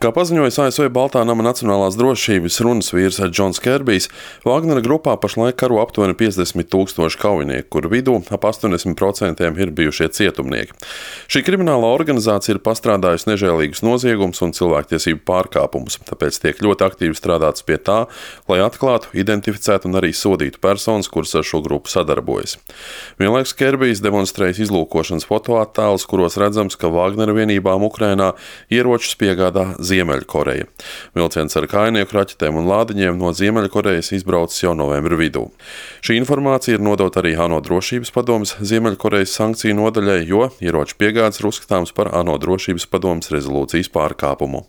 Kā paziņojis ASV Baltā nama nacionālās drošības runas vīrs Džons Kerbijs, Wagnera grupā pašlaik karo aptuveni 50,000 kaujinieku, kuru vidū ap 80% ir bijušie cietumnieki. Šī kriminālā organizācija ir pastrādājusi nežēlīgus noziegumus un cilvēktiesību pārkāpumus, tāpēc tiek ļoti aktīvi strādāts pie tā, lai atklātu, identificētu un arī sodītu personas, kuras ar šo grupu sadarbojas. Vienlaikus Kerbijs demonstrējas izlūkošanas fotoattēlus, kuros redzams, ka Wagnera vienībām Ukrainā ieročus piegādā Ziemeļkoreja. Vilciens ar kājnieku raķetēm un lādiņiem no Ziemeļkorejas izbraucis jau novembra vidū. Šī informācija ir nodota arī ANO drošības padomes Ziemeļkorejas sankciju nodaļai, jo ieroču piegādes ir uzskatāms par ANO drošības padomes rezolūcijas pārkāpumu.